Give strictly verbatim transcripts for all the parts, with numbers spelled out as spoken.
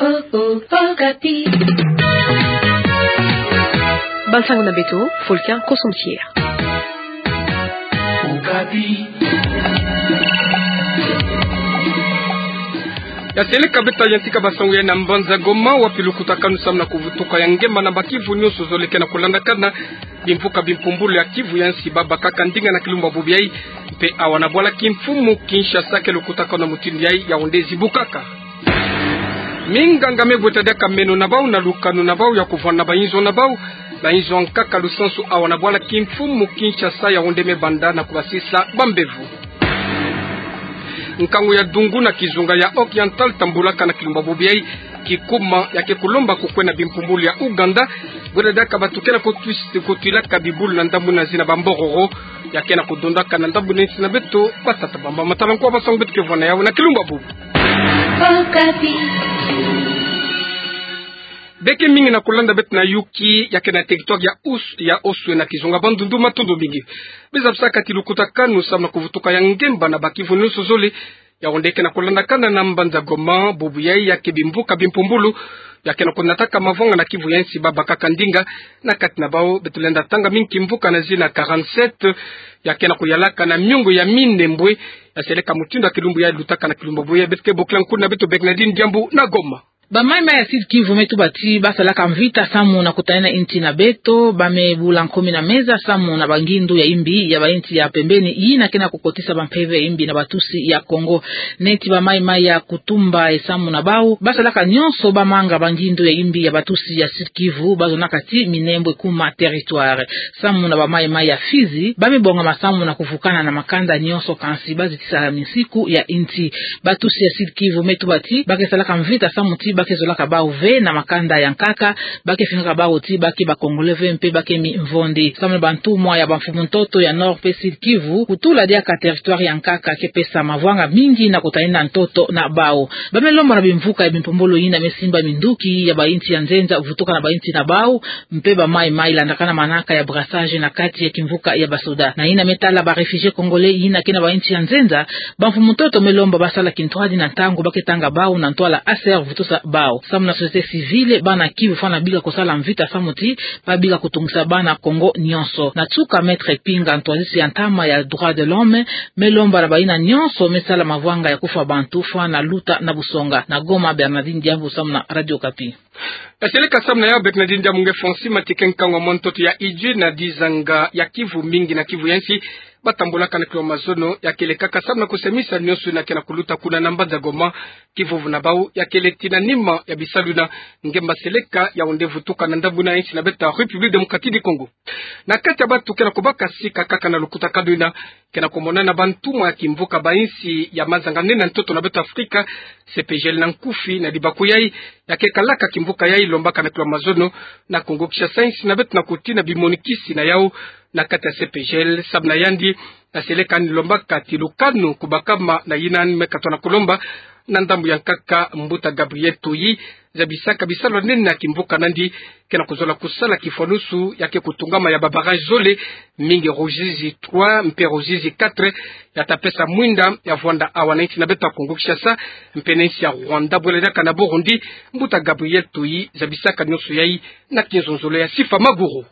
Oh, oh, Okapi. Bansango na beto, Volcan Kosomkier. Okapi. Ya seleka beto ya yantika bansango ya na mbanza Goma, wapi lukutakanu samu na kuvutuka ya ngemba na ba Kivu nyonso zole ke na kulandakana bimvuka bimpumbulu ya Kivu ya nsi, babakaka ndinga na kilumbu bubu yayi, mpe awa na bwala kimfumu Kinshasa ke lukutakanu na mutindu yayi Yaoundé zibukaka. Minganga me bweta diaka meno na bawu na lukanu na bawu ya kuvwanda na bayinzo na bawu, bayinzo ya nkaka lusansu awa na bwala kimfumu Kinshasa Yaoundé me banda na kubasisa bambevo. Nkangu ya dungu na kizunga ya Oriental tambulaka na kilumbu bubu yayi, kikuma ya ke kulomba kukwena bimpumbulu ya Ouganda, bweta diaka bantu ke na kutwis-, kutwilaka bibulu na ndambu na zina bambororo, ya ke na kudondaka na ndambu na nsi na beto, batata bamba matala nko bansango beto ke vwa na yawu na kilumbu bubu. Okapi. Beke mingi na kulanda beto na yuki ya ke na territoire ya Us-, ya Oswe na kizunga Bandundu, matondo mingi. Bizabisaka ti lukutakanu samu na kuvutuka ya ngemba na ba Kivu nyonso zole, Yaoundé ke na kulandakana na mbanza Goma bubu yayi, ya ke bimvuka bimpumbulu ya ke na kunataka mavwanga na Kivu ya nsi, babakaka ndinga. Na kati na bawu beto lenda tanga mingi kimvuka na zina quarante-sept, ya ke na kuyalaka na miongo ya minembwe. Ya seleka mutindu ya kilumbu yayi lutaka na kilumbu bubu yayi, beto ke bokila nkuna beto Bernardine Diambu na Goma. Ba mayi-mayi ya Sud-Kivu me tuba ti basalaka mvita samu na kutalena inti na beto, ba me bula nkomi na meza samu na bangindu ya imbi ya ba inti ya pembeni, yina ke na kukotisa bampeve ya imbi na batusi ya Kongo. Neti ba mayi-mayi ya Kutumba e samu na bawu, basalaka nyonso bamanga bangindu ya imbi ya batusi ya Sud-Kivu, bazonaka ti minembwe kuma territoire. Samu na ba mayi-mayi ya Fizi, ba me bongama samu na kuvukana na makanda nyonso, kansi bazitisa misiku ya inti. Batusi ya Sud-Kivu me tuba ti ba ke salaka mvita samu ti ba ke zolaka bawu ve na makanda ya nkaka, ba ke fingaka bawu ti ba ke ba Congolais ve mpe ba ke mimvondi. Samu na bantumwa ya bamfumu-ntoto ya Nord mpe Sud-Kivu, kutula diaka territoire ya nkaka ke pesa mavwanga mingi na kutalena ntoto na bawu. Ba me lomba na bimvuka ya bimpumbulu yina me simba minduki ya ba inti ya nzenza vutuka na ba inti na bawu, mpe ba mayi-mayi landakana manaka ya brassage na kati ya kimvuka ya basoda. Na yina me tala ba réfugiés congolais yina ke na ba inti ya nzenza, bamfumu-ntoto me lomba basala kintwadi na ntangu ba ke tanga bawu na ntwala A S E R vutusa bawu. Samu na société civile, bana Kivu fwana bika kusala mvita samu ti ba bika kutungisa bana Kongo nyonso. Na nsuka, Maître Pinga, ntwadisi ya ntama ya droits de l'homme, me lomba na bayina nyonso me sala mavwanga ya kufwa bantu fwana luta na busonga. Na Goma, Bernardine Diambu samu na Radio Okapi. Ya seleka samu na yawu Bernardine Diambu nge Fonsi Matike. Nkangu wa mwa ntoto ya Idjwi na Dizanga ya Kivu mingi na Kivu ya nsi, batambulaka na kilumbu mazono, ya ke lekaka samu na kusemisa nyonso yina ke na kuluta kuna na mbanza Goma. Kivuvu na bawu ya kele ti na nima ya bisalu yina ngemba seleka Yaoundé vutuka na ndambu na insi na beto, République Démocratique du Congo. Na kati ya bantu ke na kubaka sika kaka na lukutakanu yina, ke na kumonana bantumwa ya kimvuka ba insi ya mazanga-nene ya ntoto na beto Afrika, C P G L na nkufi. Na libaku yayi, ya ke kalaka kimvuka yayi lombaka na kilumbu mazono na Kongo Kinshasa, insi na beto na kutina bimonikisi na yawu na kati ya C P G L. Samu na yandi, ya seleka ni lombaka ti lukanu kubakama na yina ni me katwa na kulomba na ndambu ya nkaka Mbuta Gabriel Tuyi, zabisaka bisalu ya nene ya kimvuka nandi, ke na kuzola kusala kifwanusu ya ke kutungama ya ba barrage zole, mingi Ruzizi trois mpe Ruzizi quatre, ya ta pesa mwinda ya vwanda awa na insi na beto Kongo Kinshasa mpe na insi ya Rwanda, bwela diaka na Burundi. Mbuta Gabriel Tuyi zabisaka nyonso yayi na kinzonzolo ya Sifa Maguru.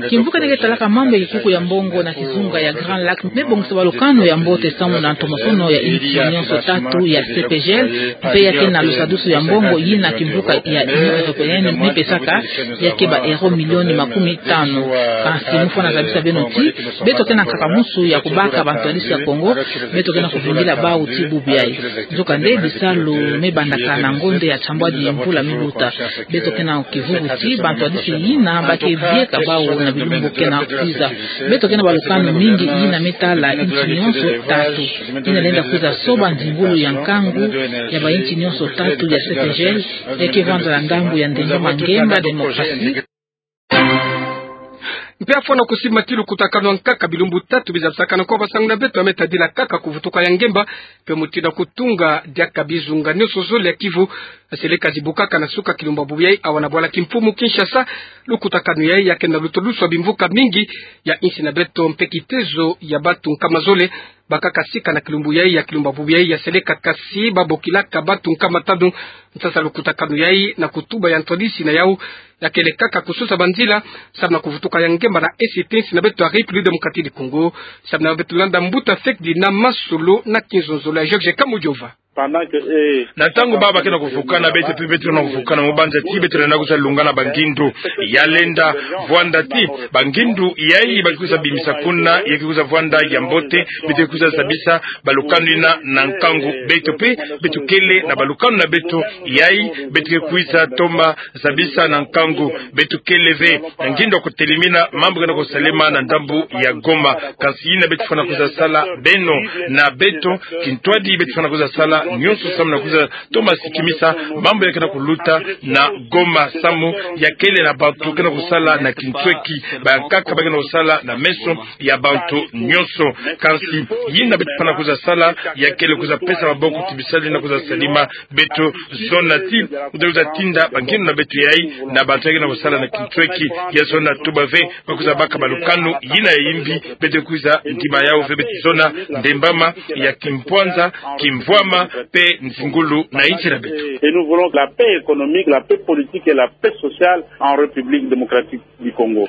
Kimvuka yina ke talaka mambu ya kikuku ya mbongo na kizunga ya Grand Lac me bongisa balukanu ya mbote samu na ntomosono ya insi nyonso tatu ya C P G L, mpe ya ke na lusadusu ya mbongo yina kimvuka ya Union Européenne me pesaka, ya ke ba euro milioni makumi tanu. Kansi mu fwana zabisa beno ti beto ke na nkaka musu ya kubaka bantwadisi ya Kongo, beto ke na kuvingila bawu ti bubu yayi. Nzokande bisalu me bandaka na ngonde ya nsambwadi mvula me luta. Beto ke na kivuvu ti bantwadisi yina ba ke bieka bawu na bilumbu ke na kwiza. Beto ke na balukanu mingi yina me tala insi nyonso tatu. Yina lenda kwiza soba nzingulu ya nkangu ya ba insi nyonso tatu ya C P G L, ya ke vwanda na ndambu ya ndengama ngemba, démocratie. Mpe ya fwana kusimbama ti lukutakanu ya nkaka bilumbu tatu bizabisakana kwa basangu na beto ya me tadila kaka kuvutuka ya ngemba, mpe mutindu ya kutunga diaka bizunga nyonso zole ya Kivu, ya seleka zibukaka na suka kilumbu bubu yayi awa na bwala kimfumu Kinshasa. Lukutakanu yayi ya ke na lutodusu ya bimvuka mingi ya insi na beto mpe kitezo ya bantu nkama zole Bakaka sika na kilumbu yayi ya kilumbu ya bubu yayi, ya seleka kasi babokilaka bantu nkama tanu nsasa lukutakanu yayi na kutuba ya ntwadisi na yau, ya kele kaka kususa banzila, samu na kuvutuka ya ngemba na esi ya insi na beto ya République Démocratique du Congo, samu na beto landa mbuta fekidi na masolo na kinzonzolo ya Georges Kamujova. Pendant que, eh, na ntangu bawu ba kena kuvukana, beto mpe beto kena kuvukana, mu banza ti beto lenda kwiza lungana bangindu. Ya lenda vwanda ti bangindu yayi ba kwiza bimisa kuna, ya kwiza vwanda ya mbote, beto kwiza zabisa balukanu yina na nkangu. Beto mpe beto kele na balukanu na beto yayi, beto kwiza toma zabisa na nkangu. Beto kele ve na ngindu ya kutelemina mambu kena kusalema na ndambu ya Goma. Kansi yina beto fwana kwiza sala beno na beto kintwadi, beto fwana kwiza sala nyonso samu na kwiza toma sikimisa mambu ya kena kuluta na Goma, samu ya kele na bantu kena kusala na kintweki, bankaka ba kena kusala na meso ya bantu nyonso. Kansi yina beto fwana kwiza sala ya kele kwiza pesa maboko ti bisalu yina kwiza salema. Beto zona ti, beto kwiza tinda bangindu na beto yayi na bantu ya kena kusala na kintweki. Ya zona tuba ve ba kwiza baka balukanu yina ya yimbi, beto kwiza ndima yau ve. Beto zona ndembama ya kimpwanza, kimvwama mpe nzingulu na insi na beto. Et nous voulons la paix économique, la paix politique et la paix sociale en République démocratique du Congo.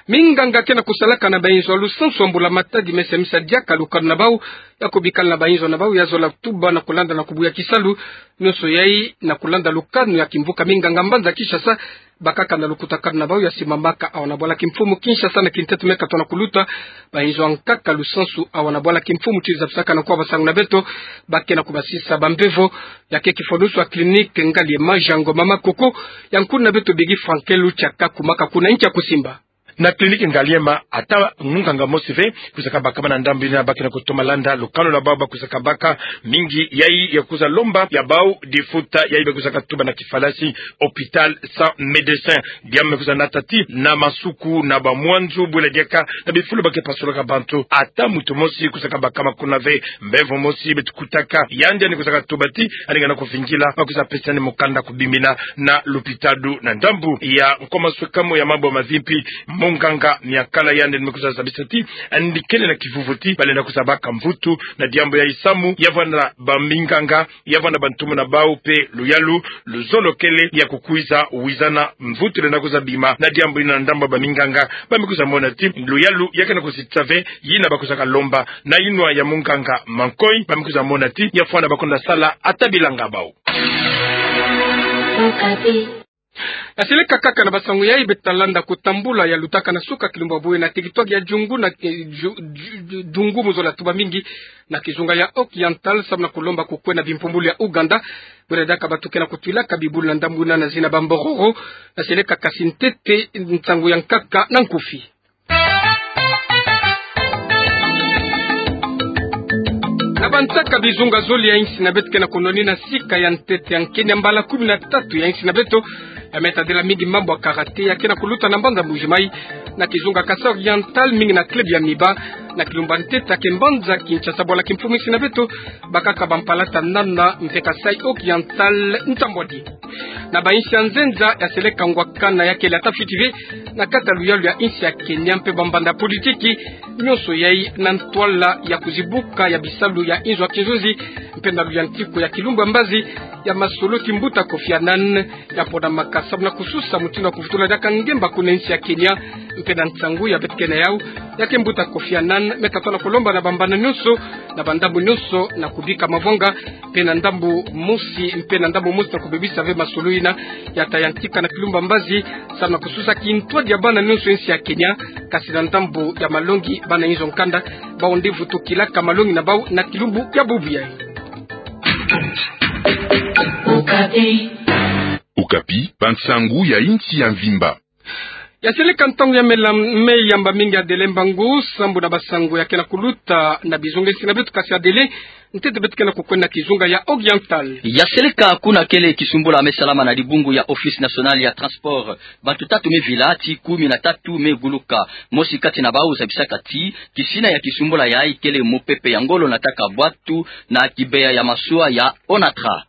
Minganga kena kusalaka na bayinzo ya lusansu ya mbula matadi mesemisa diaka lukanu na bawu, ya kubikala na bayinzo na bawu, ya zola tuba na kulanda na kubuya kisalu nyonso yayi na kulanda lukanu ya kimvuka minganga mbanza Kinshasa, bakaka na lukutakanu na bawu ya simamaka awa na bwala kimfumu Kinshasa na kintete me katono kuluta. Bayinzo ya nkaka lusansu awa na bwala kimfumu ti zabisaka na kwa basangu na beto, ba kena kubasisa bambevo, ya ke kifulusu ya clinique Ngaliema Jango Mama Koko, ya nkulu na beto Begi Frankel Luchaka kumaka kuna inki ya kusimba. Na clinique Ngaliema, ata munganga mosi ve kwiza kabakama na ndambu yina, ba kena kutoma landa lukanu na bawu ba kwiza kabaka. Mingi yayi ya kwiza lomba ya bawu difuta yayi ba kwiza katuba na kifalasi hôpital sans médecin. Diambu me kwiza nata ti na masuku na bamwanzu, bwela diaka na bifulu ba ke pasulaka bantu, ata muntu mosi kwiza kabakama kuna ve. Mbevo mosi beto kutaka, yandi yandi kwiza katuba ti yandi ngana kuvingila, ba kwiza pesa yandi mukanda kubimina na lupitalu na ndambu ya nkoma swekamu ya mambu ya mavimpi. Munganga Miakala yandi me kwiza zabisa ti yandi kele na kivuvu ti ba lenda kwiza baka mvutu na diambu yayi samu ya vwanda baminganga, ya vwanda bantumwa na bawu mpe luyalu luzolokele ya kukwiza wizana mvutu lenda kwiza bima na diambu yina. Na ndambu ya baminganga, ba me kwiza mona ti luyalu ya kena kuzitisa ve yina ba kwiza kalomba na yinwa ya munganga Mankoy, ba me kwiza mona ti ya fwana ba kwenda sala ata bilanga bawu. Ya seleka kaka na basangu yayi beto ta landa kutambula ya lutaka na suka kilumbu ya bubu yayi na territoire ya Djungu na, eh, Dju-, Dju-, Dju-, Dungu, mu zola tuba mingi, na kizunga ya Oriental, samu na kulomba kukwena bimpumbulu ya Ouganda. Bwela diaka bantu kena kutwilaka bibulu na ndambu yina na zina bambororo. Ya seleka kasi ntete nsangu ya nkaka na nkufi. Na bansaka bizunga zole ya insi na beto kena kunoni na sika ya ntete ya nkenya mbala kumi na tatu ya insi na beto, ya me tadila mingi mambu ya karaté ya kena kuluta na mbanza Mbuji-Mayi, na kizunga Kasaï Oriental, mingi na club ya Miba, na kilumbu ya ntete ya ke mbanza Kinshasa, bwala kimfumu insi na beto, bakaka bampalata nana mpe Kasaï Oriental ntambwadi. Na bainsi ya nzenza, ya seleka ngwakana ya kele ata fiti ve na kati ya luyalu ya insi ya Kenya mpe bambanda politiki, nyonso yayi na ntwala ya kuzibuka ya bisalu ya inzo ya kinzonzi mpe na luyantiku ya kilumbu ya mbazi ya masolo ti mbuta Kofi Annan, ya ponamaka samu na kususa mutindu ya kuvutula diaka ngemba kuna insi ya Kenya. Mpe na nsangu ya beto kena yau, ya ke mbuta Kofi Annan me katona kulomba na bambanda nyonso, na bandambu nyonso, na kubika mavwanga, mpe na ndambu mosi, mpe na ndambu mosi na kubebisa ve masolo yina ya ta yantika na kilumbu ya mbazi, samu na kususa kintwadi ya bana nyonso ya insi ya Kenya, kasi na ndambu ya malongi, bana inzo nkanda, bawu nde vutukilaka malongi na bawu na kilumbu ya bubu yayi. Okapi. Okapi, bansangu ya insi ya mvimba. Ya seleka ntangu ya mela-, me yamba mingi Adele Mbangu, sambu na basangu ya kena kuluta na bizunga insi na beto, kasi Adele, ntete beto kena kukwenda kizunga ya Oriental. Ya seleka kuna kele kisumbula me salama na dibungu ya Office National ya Transport. Bantu tatu me vila, ti kumi na tatu me guluka. Mosi kati na bawu zabisaka ti kisina ya kisumbula yayi kele mupepe ya ngolo nataka bwatu na kibeya ya masuwa ya Onatra.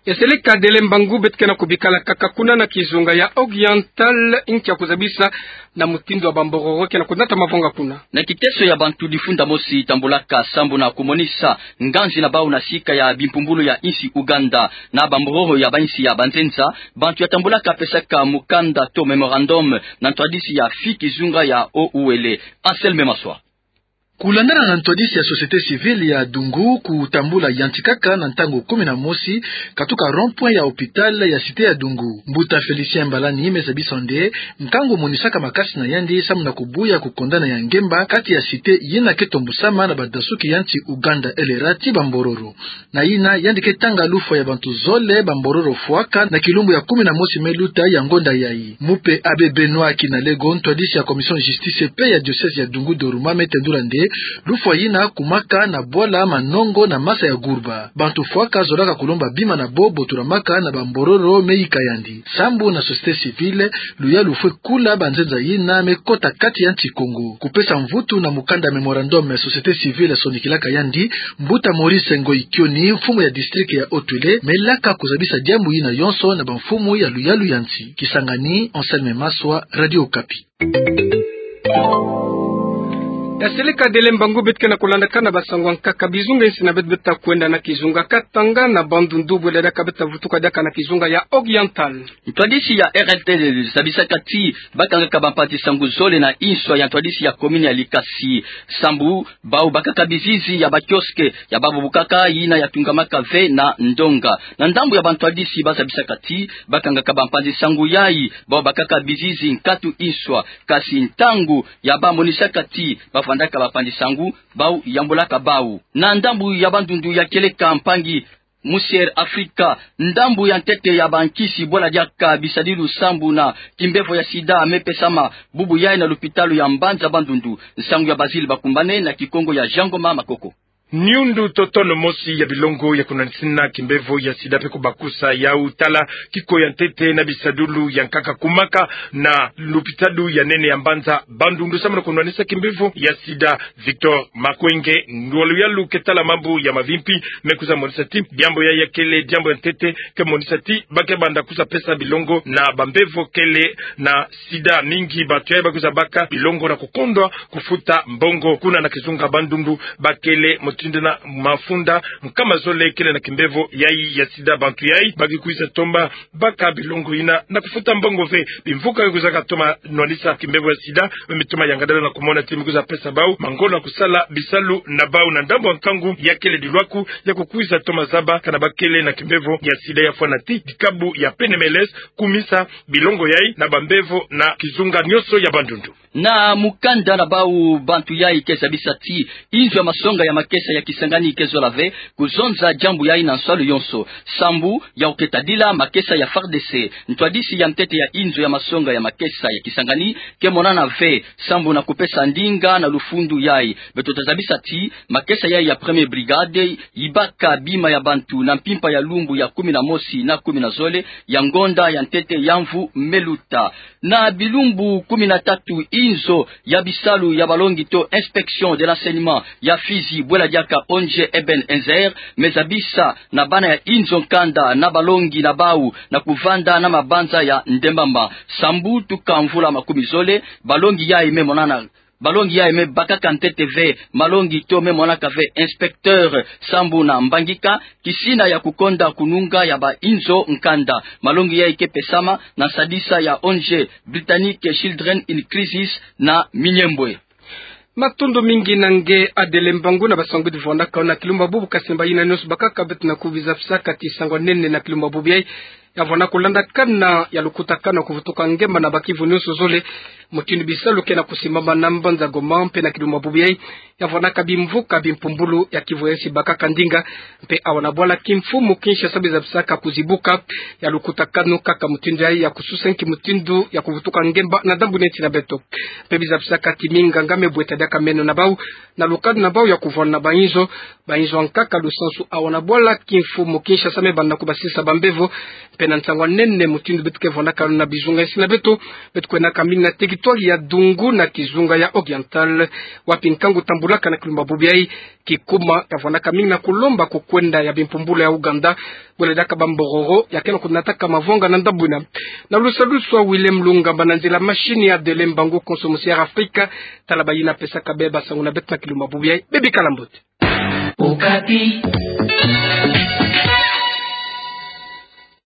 Eseleka Dele Mbangu, beto ke na kubikala kaka kuna na kizunga ya Oriental, nkia kuzabisa na mutindu wa bambororo ke na kunata mavanga kuna. Na kiteso ya bantu difunda mosi tambulaka sambu na kumonisa nganzi na bau na sika ya bimpumbulu ya insi Ouganda na bambororo ya bainsi ya banzenza, bantu ya tambulaka pesaka mukanda to memorandum na ntwadisi ya fi kizunga ya O U L. Anselme Maswa. Kulandana na ntwadisi ya société civile ya Dungu, kutambula yanti kaka na ntangu kumi na mosi katuka rond-point ya hôpital ya cité ya Dungu. Mbuta Félicien Mbalani me zabisa nde nkangu monisaka makasi na yandi sambu na kubuya kukondana ya ngemba kati ya cité yina ke tombusama na badasuki ya nsi Ouganda L R A ti bambororo. Na yina yandi ke tanga lufwa ya bantu zole bambororo fwaka na kilumbu ya kumi na mosi me luta ya ngonda yayi. Mupe Abbé Benoît Kinalego, ntwadisi ya commission justice et paix ya diocèse ya Dungu Dorouma, me tendula nde lufwa yina kumaka na bwala manongo na masa ya gurba. Bantu fwaka zolaka kulomba bima na bo botulamaka na bambororo me yika yandi. Sambu na société civile, luyalu fwe kula banzenza yina me kota kati ya nsi Kongo. Kupesa mvutu na mukanda memorandum ya société civile sonikilaka yandi, mbuta Maurice Ngoyi Kioni, mfumu ya district ya Haut-Uele, me laka kuzabisa diambu yina yonso na bamfumu ya luyalu ya nsi. Kisangani, Anselme Maswa, Radio Okapi. Eseleka Dele Mbangu, beto ke na kulandaka na basangu ya nkaka. Bizunga insi na beto, beto ta kwenda na kizunga Katanga na Bandundu, bwela diaka beto ta vutuka diaka na kizunga ya Oriental. Ntwadisi ya R L T zabisaka ti bakangaka bampanzi-nsangu zole na inswa ya ntwadisi ya commune ya Likasi. Sambu bau bakaka bizizi ya ba kiosque ya babubukaka, yina ya tungamaka ve na ndonga. Na ndambu ya bantwadisi, bazabisaka ti bakangaka bampanzi-nsangu yayi bau bakaka bizizi nkatu inswa, kasi ntangu ya bamonisaka ti bavandaka bampanzi-nsangu, bau yambulaka bau. Na ndambu ya Bandundu, ya kieleka mpangi Monsieur Africa, ndambu ya ntete ya bankisi bwela diaka bisadilu sambu na kimbevo ya sida me pesama bubu yayi na lupitalu ya Mbanza Bandundu. Nsangu ya Basile Bakumbane na Kikongo ya Jean Ngoma Makoko. Niundu totono mosi ya bilongo ya kunwanisina kimbevo ya sida pe kubakusa yau tala kiko ya ntete na bisadilu ya nkaka kumaka na lupitalu ya nene ya Mbanza Bandundu sambu na kunwanisa kimbevo ya sida. Victor Makwenge, ngolo ya luyalu ke tala mambu ya mavimpi, me kwiza monisa ti diambu yayi ya kele diambu ya ntete, ke monisa ti ba ke banda kwiza pesa bilongo na bambevo kele na sida. Mingi bantu yayi ba kwiza baka bilongo na kukondwa kufuta mbongo. Kuna na kizunga Bandundu, ba kele mutindu na mafunda nkama zole kele na kimbevo yayi ya sida. Bantu yayi ba ke kwiza tomba baka bilongo yina na kufuta mbongo ve. Bimvuka ke kwizaka toma nwanisa kimbevo ya sida, me mitoma yangadala na kumona ti me kwiza pesa bau mangolo na kusala bisalu na bau. Na ndambu ya nkangu, ya kele dilwaku ya kukwiza toma zaba kana ba kele na kimbevo ya sida, ya fwana ti dikabu ya P N M L S kumisa bilongo yayi na bambevo na kizunga nionso ya Bandundu. Na mukanda na bau, bantu yayi ke zabisa ti inzo ya masonga ya makesa ya Kisangani ke zola ve kuzonza diambu yayi na nsalu yonso, sambu ya kuketa dila makesa ya F A R D C. Ntwadisi ya ntete ya inzo ya masonga ya makesa ya Kisangani ke monana ve sambu na kupesa ndinga na lufundu yayi. Beto ta zabisa ti makesa yayi ya première brigade yibaka bima ya bantu na mpimpa ya lumbu ya kumi na mosi na kumi na zole ya ngonda ya ntete ya mvu me luta. Na bilumbu kumi na tatu, inzo ya bisalu ya balongi to inspection de l'enseignement ya Fizi, bwela diaka O N G Eben Ezer, me zabisa na bana ya inzo nkanda na balongi na bau na kuvanda na mabanza ya ndembamba. Sambu tuka mvula makumi zole, balongi yayi me monana, balongi yayi me bakaka ntete ve malongi to me monaka ve inspecteur sambu na mbangika, kisina ya kukonda kununga ya ba inzo nkanda. Malongi yayi ke pesama na nsadisa ya O N G Britannic Children in Crisis na Miniembwe. Matondo mingi na nge Adele Mbangu na basangu bidi vwandaka na kilumbu bubu. Kasi mbayina nionso bakaka, beto na kubiza pisaka ti sango ya nene na kilumbu bubu yayi ya vwanda kulandakana ya lukutakanu ya kuvutuka ngemba na ba kivu nionso zole. Mutindu bisalu ke na kusimbama na mbanza Goma mpe na kilumbu bubu yayi ya vwandaka bimvuka bimpumbulu ya kivu ya nsi bakaka ndinga. Mpe awa na bwala kimfumu Kinshasa biza pisaka kuzibuka ya lukutakanu kaka mutindu yayi ya kususa nki mutindu ya kuvutuka ngemba na ndambu neti na beto. Mpe biza pisaka ti minganga me bweta diaka meno na bau na lukanu na bau ya kuvwanda na ba inzo, ba inzo ya nkaka lusansu. Awa na bwala kimfumu Kinshasa me banda kubasisa bambevo Mpe na nsangu a nene mutindu beto ke vwanaka na bizunga insi na beto, beto kwenaka mingi na teritwari ya Dungu na kizunga ya Oriental, wapi nkangu tambulaka na kilumbu ya bubu yayi kikuma, kavwanaka mingi na kulomba ku kwenda ya bimpumbulu ya Ouganda, bwela diaka bambororo ya kena kunataka mavwanga na ndambu ina. Na lusalusu a Willem Lungamba na nzila machine ya Dele Mbangu, konso musi ya Afrika, tala bayina pesaka beba sangu na beto na kilumbu ya bubu yayi. Bebikala mbote. Okapi.